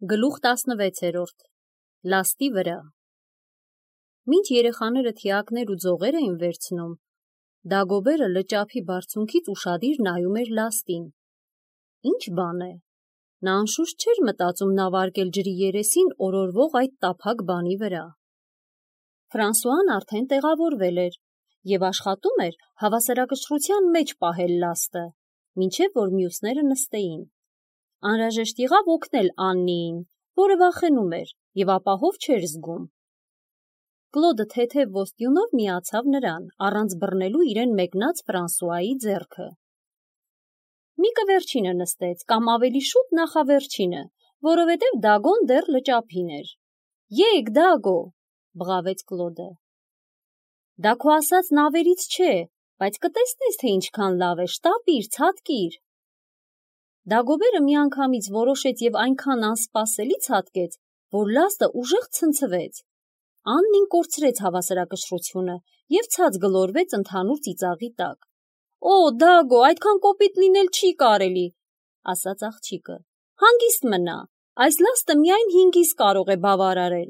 Գլուխ 16 Լաստի վրա Մինչ երեխաները թիակներ ու ձողեր էին վերցնում, Դագոբերը լճափի բարձունքից ուշադիր նայում էր լաստին. ինչ բան է, նա անշուշտ չէր մտածում նավարկել ջրի երեսին օրորվող այդ տափակ բանի վրա։ Ֆրանսուան արդեն տեղավորվել էր և աշխատում էր հավասարակշռության մեջ պահել լաստը, մինչև որ մյուսները նստեին։ Անհրաժեշտ եղավ օգնել Աննիին, որը վախենում էր և ապահով չէր զգում։ Կլոդը թեթև ոսტյունով միացավ նրան, առանց բռնելու իրեն մեկնած Ֆրանսուայի ձեռքը։ Միկը վերջինը նստեց, կամ ավելի շուտ նախավերջինը, որովհետև Դագոն դեռ լճափին էր։ Եկ, Դագո, բղավեց Կլոդը։ Դա քո ասած նավերից չէ, բայց կտեսնես, թե ինչքան լավ է, շտապիր, ցատկիր։ Դագոբերը միանգամից որոշեց և այնքան անսպասելի ցատկեց, որ լաստը ուժեղ ցնցվեց։ Աննին կորցրեց հավասարակշռությունը և ցած գլորվեց ընդհանուր ծիծաղի տակ։ Օ, Դագո, այդքան կոպիտ լինել չի կարելի, ասաց աղջիկը։ Հանգիստ մնա, այս լաստը միայն 5-ից կարող է բավարարել։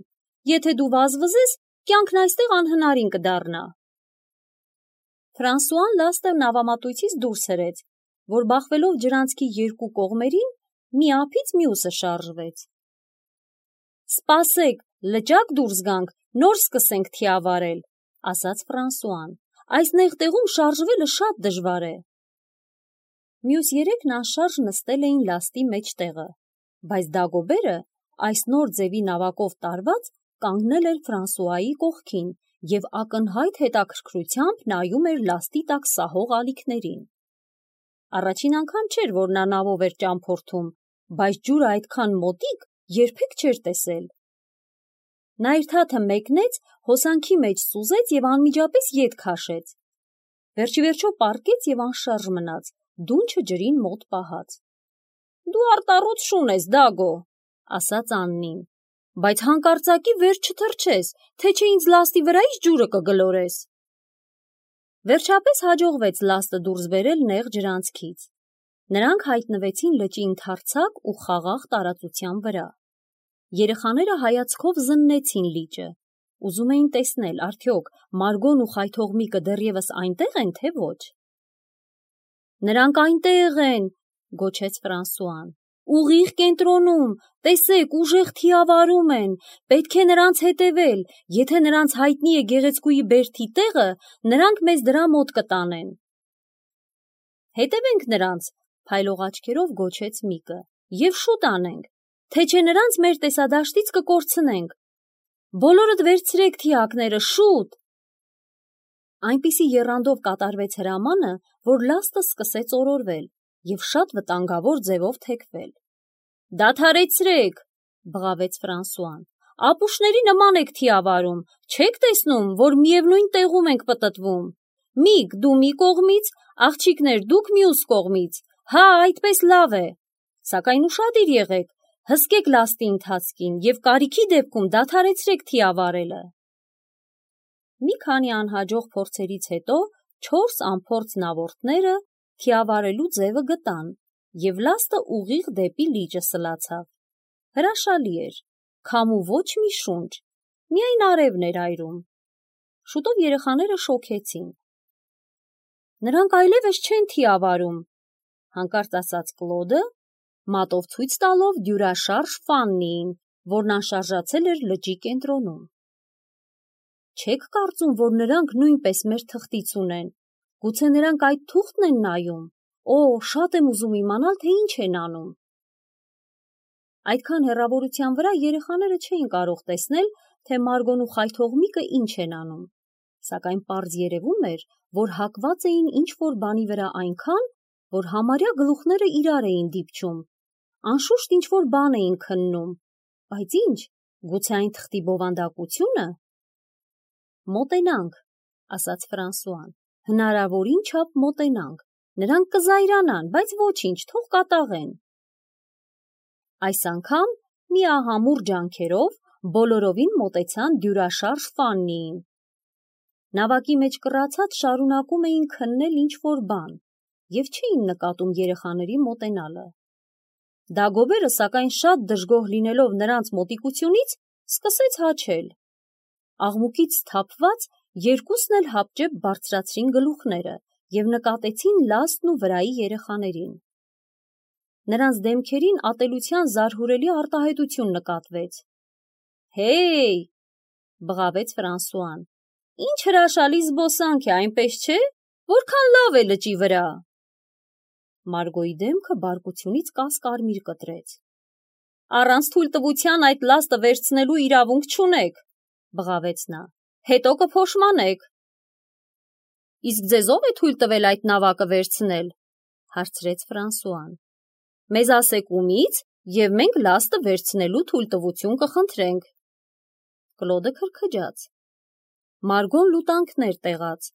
Եթե դու վազվզես, կյանքն այստեղ անհնարին կդառնա։ Ֆրանսուան լաստը նավամատույցից դուրս հրեց, որ բախվելով ջրանցքի երկու կողմերին, մի ափից մյուսը շարժվեց։ Սպասեք, լճակ դուրս գանք, նոր սկսենք թիավարել, ասաց Ֆրանսուան։ Այս նեղ տեղում շարժվելը շատ դժվար է։ Մյուս երեքն անշարժ նստել էին լաստի մեջտեղը, բայց Դագոբերը, այս նոր ձևի նավակով տարված, կանգնել էր Ֆրանսուայի կողքին և ակնհայտ հետաքրքրությամբ նայում էր լաստի տակ սահող ալիքներին։ Առաջին անգամ չէր, որ նա նավով էր ճամփորդում, բայց ջուրը այդքան մոտիկ երբեք չէր տեսել։ Նա իր թաթը մեկնեց, հոսանքի մեջ սուզեց և անմիջապես ետ քաշեց։ Վերջիվերջո պառկեց և անշարժ մնաց, դունչը ջրին մոտ պահած։ Դու արտառոց շուն ես, Դագո, ասաց Աննին, բայց հանկարծակի վեր չթռչես, թե չէ ինձ լաստի վրայից ջուրը կգլորես։ Վերջապես հաջողվեց լաստը դուրս բերել նեղ ջրանցքից։ Նրանք հայտնվեցին լճի ընդարձակ ու խաղաղ տարածության վրա։ Երեխաները հայացքով զննեցին լիճը, ուզում էին տեսնել, արդյոք Մարգոն ու Խայթողմիկը դեռևս այնտեղ են, թե ոչ։ Նրանք այնտեղ են, գոչեց Ֆրանսուան։ Ուղիղ կենտրոնում, տեսեք, ուժեղ թիավարում են, պետք է նրանց հետևել, եթե նրանց հայտնի է գեղեցկուի բերդի տեղը, նրանք մեզ դրա մոտ կտանեն։ Հետևենք նրանց, փայլող աչքերով գոչեց Միկը, և շուտ անենք, թե չէ նրանց մեր տեսադաշտից կկորցնենք։ Բոլորդ վերցրեք թիակները, շուտ։ Այնպիսի եռանդով կատարվեց հրամանը, որ լաստը սկսեց օրորվել և շատ վտանգավոր ձևով թեքվել։ Դադարեցրեք, բղավեց Ֆրանսուան, ապուշների նման եք թիավարում, չեք տեսնում, որ միևնույն տեղում ենք պտտվում։ Միկ, դու մի կողմից, աղջիկներ, դուք մյուս կողմից, հա, այդպես լավ է, սակայն ուշադիր եղեք, հսկեք լաստի ընթացքին և կարիքի դեպքում դադարեցրեք թիավարելը։ Մի քանի անհաջող փորձերից հետո 4 անփորձ նավորդները թիավարելու ձևը գտան և լաստը ուղիղ դեպի լիճը սլացավ։ Հրաշալի էր, քամու ոչ մի շունչ, միայն արևն էր այրում։ Շուտով երեխաները շոգեցին։ Նրանք այլևս չեն թիավարում, հանկարծ ասաց Կլոդը, մատով ցույց տալով դյուրաշարժ Ֆաննիին, որն անշարժացել էր լճի կենտրոնում։ Չեք կարծում, որ նրանք նույնպես մեր թղթից ունեն, գուցե նրանք այդ թուղթն են նայում, օ, շատ եմ ուզում իմանալ, թե ինչ են անում։ Այդքան հեռավորության վրա երեխաները չէին կարող տեսնել, թե Մարգոն ու Խայթողմիկը ինչ են անում, սակայն պարզ երևում էր, որ հակված էին ինչ-որ բանի վրա այնքան, որ համարյա գլուխները իրար էին դիպչում, անշուշտ ինչ-որ բան էին քննում, բայց ինչ, գուցե այն թղթի բովանդակությո՞ւնը։ Մոտենանք, ասաց Ֆրանսուան, հնարավորին չափ մոտենանք, նրանք կզայրանան, բայց ոչինչ, թող կատաղեն։ Այս անգամ միահամուռ ջանքերով բոլորովին մոտեցան դյուրաշարժ Ֆաննիին։ Նավակի մեջ կռացած շարունակում էին քննել ինչ-որ բան և չէին նկատում երեխաների մոտենալը։ Դագոբերը, սակայն շատ դժգոհ լինելով նրանց մոտիկությունից, սկսեց հաչել։ Աղմուկից սթափված երկուսն էլ հապճեպ բարձրացրին գլուխները և նկատեցին Լաստն ու վրայի երեխաներին։ Նրանց դեմքերին ատելության զարհուրելի արտահայտություն նկատվեց։ «Հեյ!» բղավեց Ֆրանսուան, «Ինչ հրաշալի զբոսանք է, այնպես չէ, որքան լավ է լճի վրա»։ Մարգոյի դեմքը բարկությունից կասկարմիր կտրեց։ «Առանց թույլտվության այդ լաստը վերցնելու իրավունք չունեք», բղավեց նա, «հետո կփոշմանեք»։ «Իսկ ձեզ ով է թույլ տվել այդ նավակը վերցնել», հարցրեց Ֆրանսուան։ «Մեզ ասեք ումից, և մենք լաստը վերցնելու թույլտվություն կխնդրենք»։ Կլոդը քրքջաց։ Մարգոն լուտանքներ տեղաց,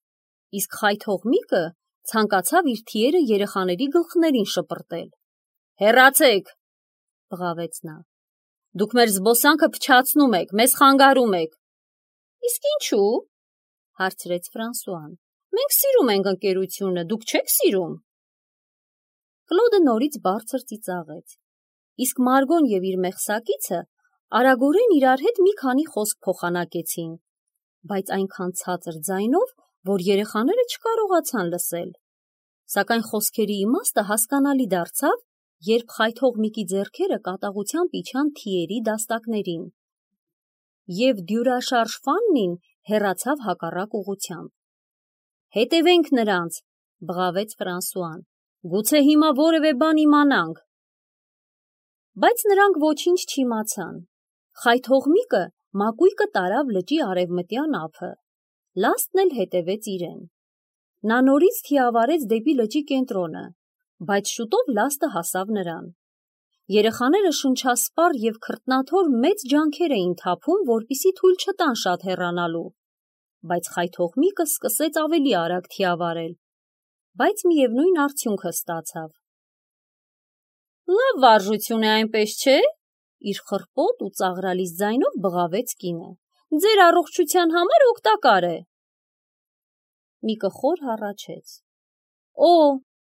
իսկ խայթող Միկը ցանկացավ իր թիերը երեխաների գլխներին շպրտել։ «Հեռացեք», բղավեց նա։ «Դուք մեր զբոսանքը փչացնում եք, մեզ խանգարում եք»։ «Իսկ ինչու՞, հարցրեց Ֆրանսուան։ «Մենք սիրում ենք ընկերությունը, դուք չեք սիրում»։ Կլոդը նորից բարձր ծիծաղեց, իսկ Մարգոն և իր մեղսակիցը արագորեն իրար հետ մի քանի խոսք փոխանակեցին, բայց այնքան ցածր ձայնով, որ երեխաները չկարողացան լսել։ Սակայն խոսքերի իմաստը հասկանալի դարձավ, երբ խայթող Միկի ձեռքերը կատաղությամբ իջան թիերի դաստակներին, և դյուրաշարժ Ֆաննին հեռացավ հակառակ ուղղությամբ։ «Հետևենք նրանց», բղավեց Ֆրանսուան, «գուցե հիմա որևէ բան իմանանք»։ Բայց նրանք ոչինչ չիմացան։ Խայթող Միկը մակույկը տարավ լճի արևմտյան ափը, Լաստն էլ հետևեց իրեն։ Նա նորից թիավարեց դեպի լճի կենտրոնը, բայց շուտով լաստը հասավ նրան։ Երեխաները շնչասպառ և քրտնաթոր մեծ ջանքեր էին թափում, որպեսզի թույլ չտան շատ հեռանալու, բայց խայթող Միկը սկսեց ավելի արագ թիավարել, բայց միևնույն արդյունքը ստացավ։ «Լավ վարժություն է, այնպես չէ», իր խռպոտ ու ծաղրալից ձայնով բղավեց կինը։ «Ձեր առողջության համար օգտակար է»։ Միկը խոր հառաչեց։ «Օ,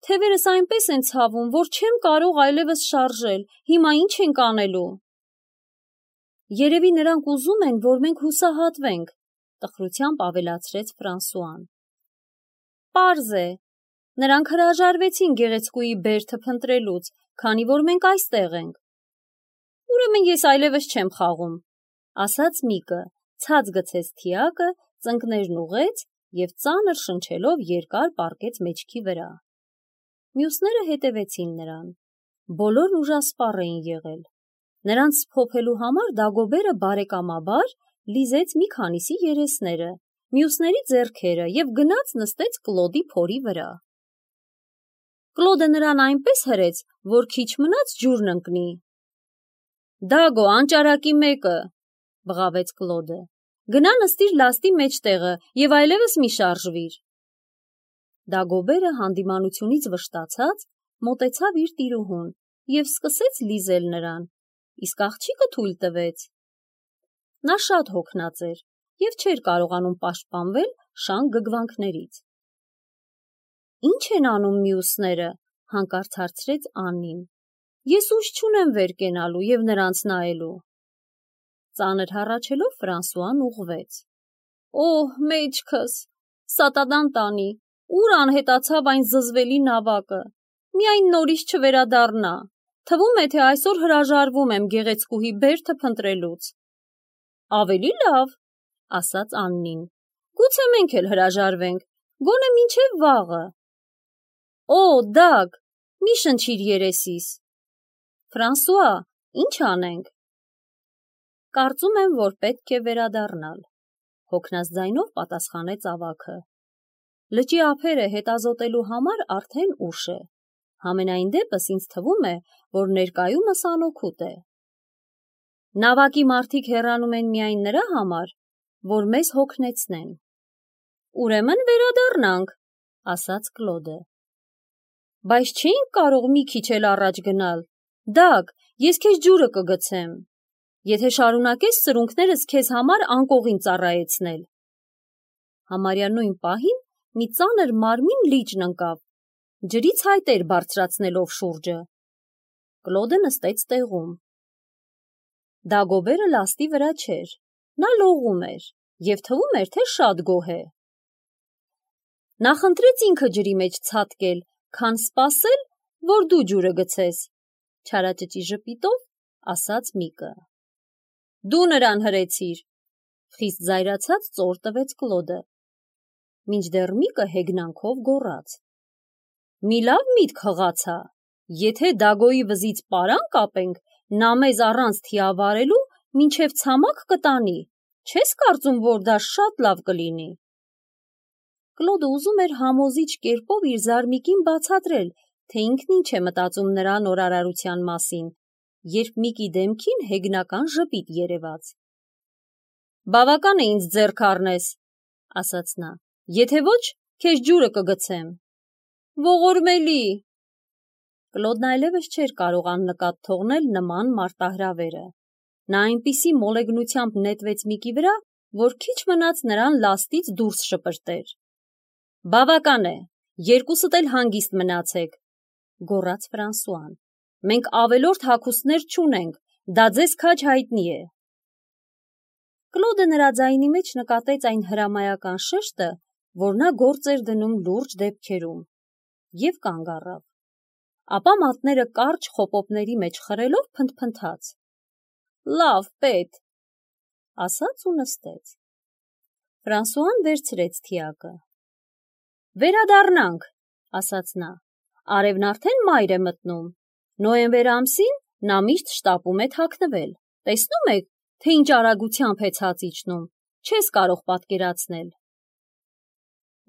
թևերս այնպես են ցավում, որ չեմ կարող այլևս շարժել, հիմա ինչ ենք անելու»։ «Երևի նրանք ուզում են, որ մենք հուսահատվենք», տխրությամբ ավելացրեց Ֆրանսուան։ «Պարզ է, նրանք հրաժարվեցին գեղեցկուհի բերդը փնտրելուց, քանի որ մենք այստեղ ենք»։ «Ուրեմն ես այլևս չեմ խաղում», ասաց Միկը, ցած գցեց թիակը, ծնկներն ուղղեց և ծանր շնչելով երկար պառկեց մեջքի վրա։ Մյուսները հետևեցին նրան։ Բոլորն ուժասպառ էին եղել։ Նրանց սփոփելու համար Դագոբերը բարեկամաբար լիզեց մի քանիսի երեսները, մյուսների ձեռքերը և գնաց նստեց Կլոդի փորի վրա։ Կլոդը նրան այնպես հրեց, որ քիչ մնաց ջուրն ընկնի։ «Դագո, անճարակի մեկը», բղավեց Կլոդը, «գնա նստիր լաստի մեջտեղը և այլևս մի շարժվիր»։ Դագոբերը հանդիմանությունից վշտացած մոտեցավ իր տիրուհուն և սկսեց լիզել նրան, իսկ աղջիկը թույլ տվեց։ Նա շատ հոգնած էր և չէր կարողանում պաշտպանվել շան գգվանքներից։ «Ինչ են անում մյուսները», հանկարծ հարցրեց Աննին։ «Ես ուժ չունեմ վեր կենալու և նրանց նայելու»։ Ծանր հառաչելով Ֆրանսուան ուղղվեց։ «Օհ, մեջքս, սատանան տանի, ուր անհետացավ այն զզվելի նավակը, միայն նորից չվերադառնա, թվում է, թե այսօր հրաժարվում եմ գեղեցկուհի բերդը փնտրելուց»։ «Ավելի լավ», ասաց Աննին, «գուցե մենք էլ հրաժարվենք, գոնե մինչև վաղը»։ «Օ, Դագ, մի շնչիր երեսիս»։ «Ֆրանսուա, ինչ անենք»։ «Կարծում եմ, որ պետք է վերադառնալ», հոգնած ձայնով պատասխանեց ավագը։ «Լճի ափերը հետազոտելու համար արդեն ուշ է։ Համենայն դեպս ինձ թվում է, որ ներկայումս անօգուտ է։ Նավակի մարդիկ հեռանում են միայն նրա համար, որ մեզ հոգնեցնեն»։ «Ուրեմն վերադառնանք», ասաց Կլոդը։ «Բայց չէինք կարող մի քիչ էլ առաջ գնալ։ Դագ, ես քեզ ջուրը կգցեմ, եթե շարունակես սրունքներս քեզ համար անկողին ծառայեցնել»։ Համարյա նույն պահին մի ծանր մարմին լիճն ընկավ, ջրից հայտեր բարձրացնելով շուրջը։ Կլոդը նստեց տեղում։ Դագոբերը լաստի վրա չէր, նա լողում էր և թվում էր, թե շատ գոհ է։ Նա խնդրեց ինքը ջրի մեջ ցատկել, քան սպասել, որ դու ջուրը գցես, չարաճճի ժպիտով ասաց Միկը։ Դու նրան հրեցիր, խիստ զայրացած ծոր տվեց Կլոդը, մինչդեռ Միկը հեգնանքով գոռաց. Մի լավ միտք հղացա, եթե Դագոյի վզից պարան կապենք, նա մեզ առանց թիավարելու մինչև ցամաք կտանի, չես կարծում, որ դա շատ լավ կլինի։ Կլոդը ուզում էր համոզիչ կերպով իր զարմիկին բացատրել, թե ինքն ինչ է մտածում նրա նորարարության մասին, երբ Միկի դեմքին հեգնական ժպիտ երևաց։ Բավական է ինձ ձեռք առնես, ասաց նա, եթե ոչ, քեզ ջուրը կգցեմ։ Ողորմելի։ Կլոդն այլևս չէր կարող աննկատ թողնել նման մարտահրավերը։ Նա այնպիսի մոլեգնությամբ նետվեց Միկի վրա, որ քիչ մնաց նրան լաստից դուրս շպրտեր։ Բավական է, երկուսդ էլ հանգիստ մնացեք, գոռաց Ֆրանսուան։ Մենք ավելորդ հագուստներ չունենք, դա ձեզ քաջ հայտնի է։ Կլոդը նրա ձայնի մեջ նկատեց այն հրամայական շեշտը, որ նա գործ էր դնում լուրջ դեպքերում, և կանգ առավ։ Ապա մատները կարճ խոպոպների մեջ խրելով փնթփնթաց։ Լավ, պետ, ասաց ու նստեց։ Ֆրանսուան վերցրեց թիակը։ Վերադառնանք, ասաց նա, արևն արդեն մայր է մտնում, նոյեմբեր ամսին նա միշտ շտապում է թաքնվել, տեսնում եք, թե ինչ արագությամբ է ցած իջնում, չես կարող պատկերացնել։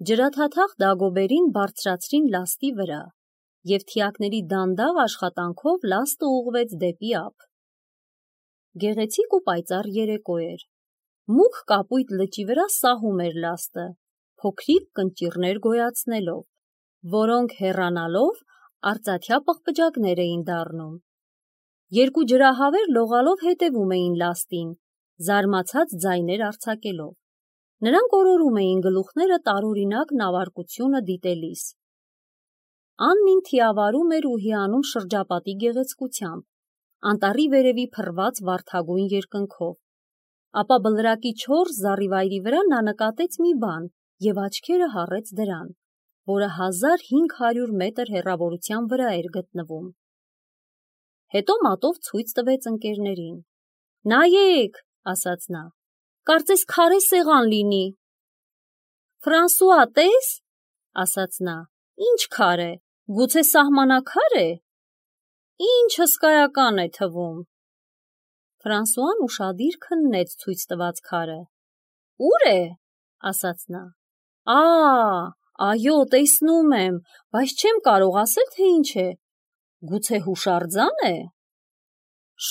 Ջրաթաթախ Դագոբերին բարձրացրին լաստի վրա, և թիակների դանդաղ աշխատանքով լաստը ուղղվեց դեպի ափ։ Գեղեցիկ ու պայծառ երեկո էր։ Մուգ կապույտ լճի վրա սահում էր լաստը, փոքրիկ կնճիռներ գոյացնելով, որոնք հեռանալով արծաթյա պղպջակներ էին դառնում։ Երկու ջրահավեր լողալով հետևում էին լաստին, զարմացած ձայներ արձակելով։ Նրանք օրորում էին գլուխները տարօրինակ նավարկությունը դիտելիս։ Աննին թիավարում էր ու հիանում շրջապատի գեղեցկությամբ, անտառի վերևի փռված վարդագույն երկնքով։ Ապա բլրակի չոր զառիվայրի վրա նա նկատեց մի բան և աչքերը հառեց դրան, որը 1500 մետր հեռավորության վրա էր գտնվում։ Հետո մատով ցույց տվեց ընկերներին։ Նայեք, ասաց նա, կարծես քարե սեղան լինի։ Ֆրանսուա, տես, ասաց նա, ինչ քարե, գուցե սահմանակար է։ Ինչ հսկայական է թվում։ Ֆրանսուան ուշադիր քննեց ցույց տված քարը։ Ուր է, ասաց նա։ Այո, տեսնում եմ, բայց չեմ կարող ասել, թե ինչ է։ Գուցե հուշարձան է։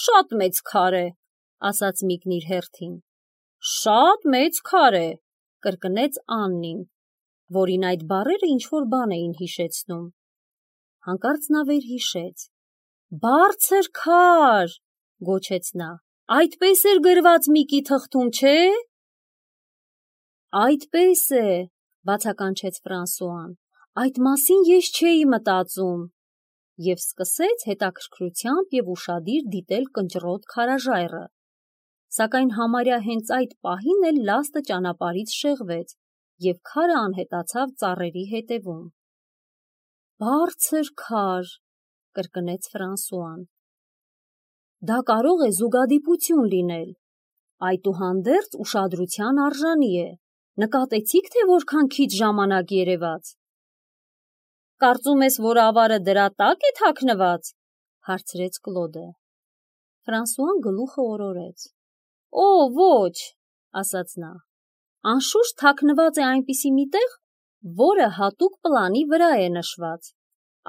Շատ մեծ քար է, ասաց Միկն իր հերթին։ Շատ մեծ քար է, կրկնեց Աննին, որին այդ բառերը ինչ-որ բան էին հիշեցնում։ Հանկարծ նա վերհիշեց։ Բարձր քար, գոչեց նա, այդպես էր գրված Միկի թղթում, չէ։ Այդպես է, բացականչեց Ֆրանսուան, այդ մասին ես չէի մտածում, և սկսեց հետաքրքրությամբ և ուշադիր դիտել կնճռոտ քարաժայռը, սակայն համարյա հենց այդ պահին էլ լաստը ճանապարհից շեղվեց, և քարը անհետացավ ծառերի հետևում։ Բարձր քար, կրկնեց Ֆրանսուան։ Դա կարող է զուգադիպություն լինել, այդուհանդերձ ուշադրության արժանի է։ Նկատեցի՞ք, թե որքան քիչ ժամանակ երևաց։ Կարծում ես, որ ավարը դրա տակ է թաքնված, հարցրեց Կլոդը։ Ֆրանսուան գլուխը օրորեց։ Օ, ոչ, ասաց նա, անշուշտ թաքնված է այնպիսի մի տեղ, որը հատուկ պլանի վրա է նշված։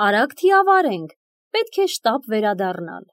Արագ թիավարենք, պետք է շտապ վերադառնալ։